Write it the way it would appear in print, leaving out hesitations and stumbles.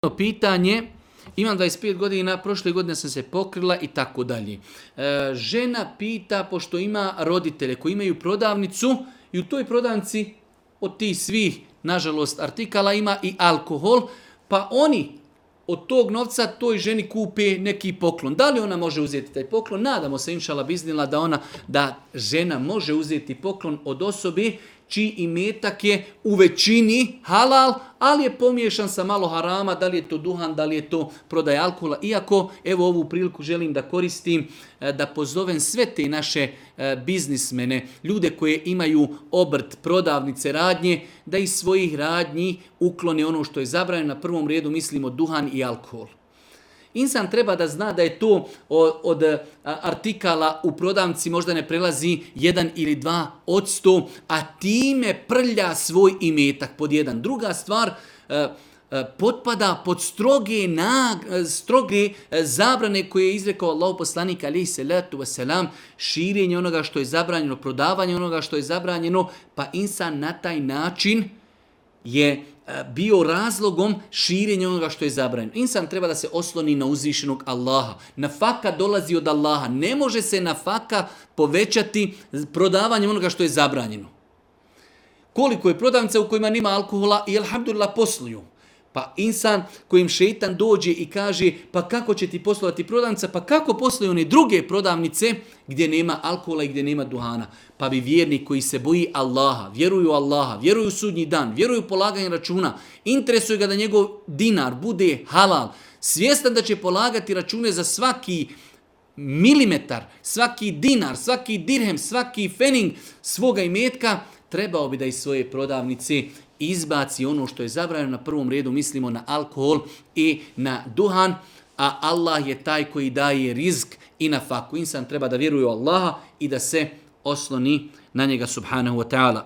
Pitanje, imam 25 godina, prošle godine sam se pokrila i tako dalje. Žena pita, pošto ima roditelje koji imaju prodavnicu i u toj prodavnici od tih svih, nažalost, artikala ima i alkohol, pa oni od tog novca toj ženi kupe neki poklon. Da li ona može uzeti taj poklon? Nadamo se, inšala biznila, da žena može uzeti poklon od osobe čiji imetak je u većini halal, ali je pomiješan sa malo harama, da li je to duhan, da li je to prodaj alkohola. Iako, evo ovu priliku želim da koristim, da pozovem sve te naše biznismene, ljude koje imaju obrt, prodavnice, radnje, da iz svojih radnji uklone ono što je zabranjeno. Na prvom redu mislimo duhan i alkohol. Insan treba da zna da je to od artikala u prodavnici možda ne prelazi 1 ili 2%, a time prlja svoj imetak pod jedan. Druga stvar, potpada pod stroge zabrane koje je izrekao Allahov poslanik alejhi selatu vesselam, širenje onoga što je zabranjeno, prodavanje onoga što je zabranjeno, pa insan na taj način je bio razlogom širenja onoga što je zabranjeno. Insan treba da se osloni na uzvišenog Allaha. Nafaka dolazi od Allaha. Ne može se nafaka povećati prodavanjem onoga što je zabranjeno. Koliko je prodavnica u kojima nema alkohola i alhamdulillah posluju. Pa insan kojim šeitan dođe i kaže pa kako će ti poslovati prodavnica, pa kako posluju one druge prodavnice gdje nema alkohola i gdje nema duhana. Pa bi vjernik koji se boji Allaha, vjeruju u sudnji dan, vjeruju u polaganje računa, interesuje ga da njegov dinar bude halal, svjestan da će polagati račune za svaki milimetar, svaki dinar, svaki dirhem, svaki fening svoga imetka, trebao bi da iz svoje prodavnice izbaci ono što je zabranjeno. Na prvom redu mislimo na alkohol i na duhan, a Allah je taj koji daje rizk i nafaku. Insan treba da vjeruje u Allaha i da se osloni na njega subhanahu wa ta'ala.